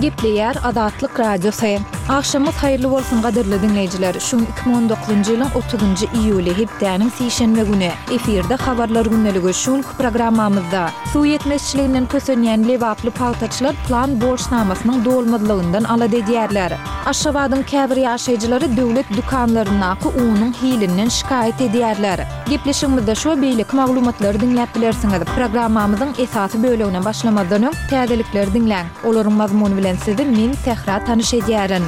Gepleýär Azatlyk Radiosy. Agşamyňyz haýyrly bolsun gadyrly diňleýjiler. Şu gün 2019-njy ýylyň 30-njy iýuly, hepdäniň sişenbe güni. Efirde Habarlar gündeligi. Şu günki programmamyzda, Suw ýetmezçiliginden kösenýän lebaply pagtaçylar plan borçnamasynyň dolmazlygyndan alada edýärler. Aşgabadyň käbir ýaşaýjylary döwlet dükanlaryndaky unuň hilinden şikaýat edýärler. Gepleşigimizde şu we beýleki maglumatlary diňläp bilersiňiz. Programmamyzyň esasy bölegine başlamazdan öň, täzelikleri diňläň. Olaryň mazmuny bilen sizi men, Sähra tanyş edýärin.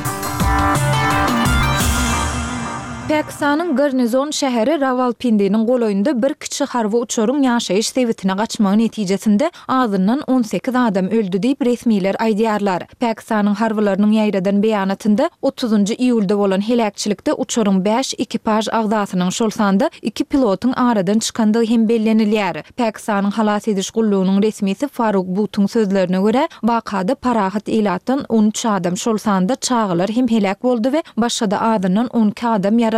Pakistanyň garnizon şäheri Rawalpindiniň golaýynda bir kiçi harby uçaryň ýaşaýyş sebitine gaçmagy netijesinde azyndan 18 adam öldi diýip, resmiler aýdýarlar. Pakistanyň harbylarynyň ýaýradan beýanatynda otuzynjy iýulda bolan heläkçilikde uçaryň bäş ekipaž agzasynyň, şol sanda iki pilotyň aradan çykandygy hem bellenilýär. Pakistanyň halas ediş gullugynyň resmisi Faruk Butuň sözlerine görä, wakada parahat ilatdan 13 adam, şol sanda çagalar hem heläk boldy we başga-da azyndan 12 adam ýaralandy.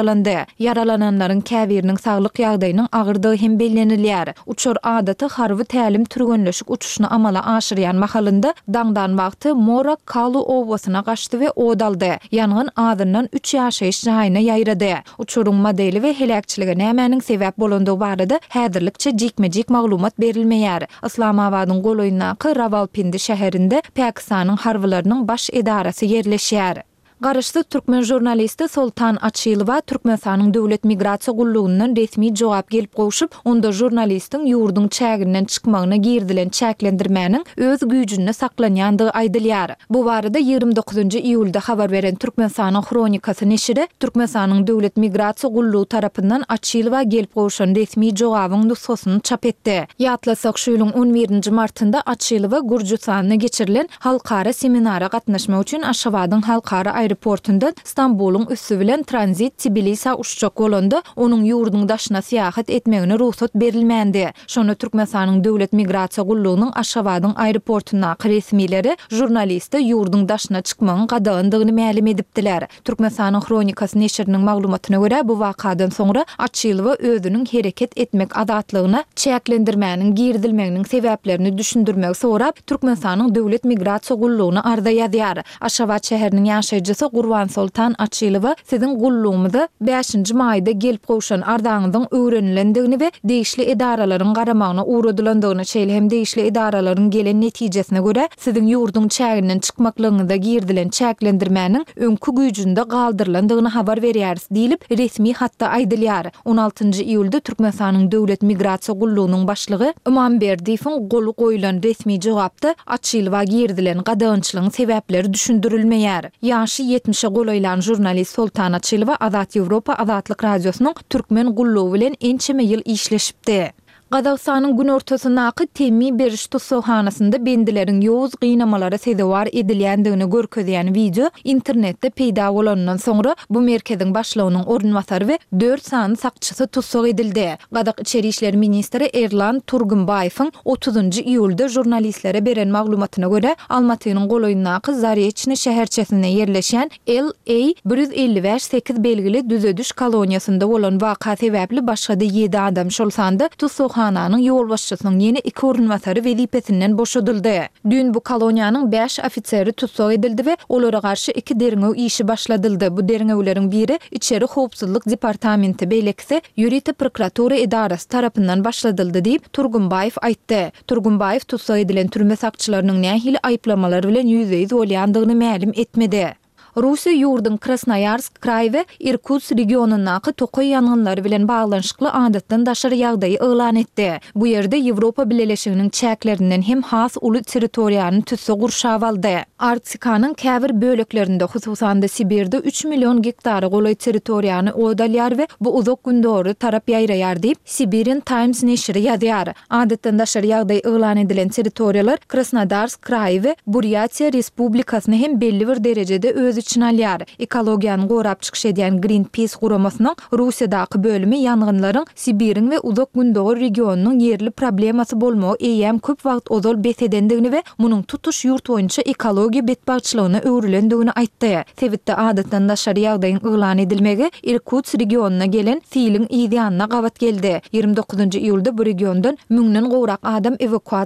Ýaralananlaryň käbiriniň saglyk ýagdaýynyň agyrdygy hem bellenilýär. Uçar adaty harby tälim-türgenleşik uçuşyny amala aşyrýan mahalynda daňdan wagty Mora Kalu obasyna gaçdy we ot aldy. Ýangyn azyndan üç ýaşaýyş jaýyna ýaýrady. Uçaryň modeli we heläkçilige nämäniň sebäp bolandygy barada häzirlikçe jikme-jik maglumat berilmeýär. Yslamabadyň golaýyndaky Rawalpindi şäherinde Pakistanyň harbylarynyň baş edarasy ýerleşýär. Garaşsyz türkmen žurnalisti Soltan Açylowa Türkmenistanyň Döwlet migrasiýa gullugyndan resmi jogap gelip gowşup, onda žurnalistiň ýurduň çäginden çykmagyna girizilen çäklendirmäniň öz güýjünde saklanýandygy aýdylýar. Bu barada 29-njy iýulda habar beren Türkmenistanyň Hronikasy neşiri Türkmenistanyň Döwlet migrasiýa gullugy tarapyndan Açylowa gelip gowşan resmi jogabyň nusgasyny çap etdi. Ýatlasak, şu ýylyň on birinji martynda Açylowa Gürjüstanda geçirilen Halkara seminara gatnaşmak üçin Aşgabadyň halkara aeroportundan Stambulyň üsti bilen tranzit Tbilisä uçjak bolanda, onuň ýurduň daşyna syýahat etmegine rugsat berilmändi. Şonda Türkmenistanyň Döwlet migrasiýa gullugynyň Aşgabadyň aeroportundaky resmileri žurnaliste ýurduň daşyna çykmagyň gadagandygyny mälim edipdiler. Türkmenistanyň Hronikasy neşiriniň maglumatyna görä, bu wakadan soňra Açylowa özüniň hereket etmek azatlygyna çäklendirmäniň girizilmeginiň sebäplerini düşündirmegi sorap, Türkmenistanyň Döwlet migrasiýa gullugyna arza ýazýar. Aşgabat şäheriniň ýaşaýjysy Gurbansoltan Açylowa siziň gullugymyza bäşinji maýda gelip gowşan arzaňyzyň öwrenilendigini we degişli edaralaryň garamagyna ugradylandygyny, şeýle hem degişli edaralaryň gelen netijesine görä, Siziň ýurduň çäginden çykmaklygyňyza girizilen çäklendirmäniň öňki güýjünde galdyrylandygyny habar berýäris diýlip, resmi hatda aýdylýar. On altynjy iýulda Türkmenistanyň Döwlet migrasiýa gullugynyň başlygy Ymamberdiýewiň goly goýlan resmi jogapda Açylowa girizilen gadagançylygyň sebäpleri düşündirilmeýär. Ýaşy ýetmişe golaýlan žurnalist Soltan Açylowa Azat Ýewropa Azatlyk Radiosynyň Türkmen gullugy bilen ençeme ýyl işleşipdi. Gazagystanyň günortasyndaky temmi beriş tussaghanasynda bendileriň ýowuz gynamalara sezewar edilýändigini görkezýän wideo internetde peýda bolanyndan soňra, bu merkeziň başlygynyň orunbasary we dört sany sakçysy tussag edildi. Gazak içeri işler ministri Erlan Turgumbaýewiň otuzynjy iýulda žurnalistlere beren maglumatyna görä, Almatynyň golaýyndaky Zareçnyý şäherçesinde ýerleşýän LA 155 sekiz belgili düzediş koloniýasynda bolan waka sebäpli başga-da ýedi adam, şol sanda tussaghananyň ýolbaşçysynyň ýene iki orunbasary wezipesinden boşadyldy. Düýn bu koloniýanyň bäş ofiseri tussag edildi we olara garşy iki derňew işi başladyldy. Bu derňewleriň biri Içeri howpsuzlyk departamenti, beýlekisi ýörite prokuratura edarasy tarapyndan başladyldy diýip, Turgunbaýew aýtdy. Turgunbaýew tussag edilen türme sakçylarynyň nähili aýyplamalar bilen ýüzbe-ýüz bolýandygyny mälim etmedi. Russiýa ýurduň Krasnoýarsk kraý we Irkutsk regionyndaky tokaý ýangynlary bilen baglanyşykly adatdan daşary ýagdaýy yglan etdi. Bu ýerde Ýewropa Bileleşiginiň çäklerinden hem has uly territoriýany tüsse gurşap aldy. Arktikanyň käbir böleklerinde, hususan-da Sibirde üç million gektara golaý territoriýany ot alýar we bu Uzak Gündogara tarap ýaýraýar diýip, Siberian Times neşiri ýazýar. Adatdan daşary ýagdaý yglan edilen territoriýalar Krasnodarsk kraýy we Burýatiýa Respublikasyny hem belli bir derejede öz içine alýar. Ekologiýany gorap çykyş edýän Greenpeace guramasynyň Russiýadaky bölümi ýangynlaryň Sibiriň we Uzak Gündogar regionynyň ýerli problemasy bolmagy eýýäm köp wagt ozal bes edendigini we munuň tutuş ýurt boýunça ekologiýa betbagtçylygyna öwrülendigini aýtdy. Sebitde adatdan daşary ýagdaýyň yglan edilmegi Irkutsk regionyna gelen siliň yz ýanyna gabat geldi. 29 iýulda bu regiondan müňden gowrak adam ewakuasiýa.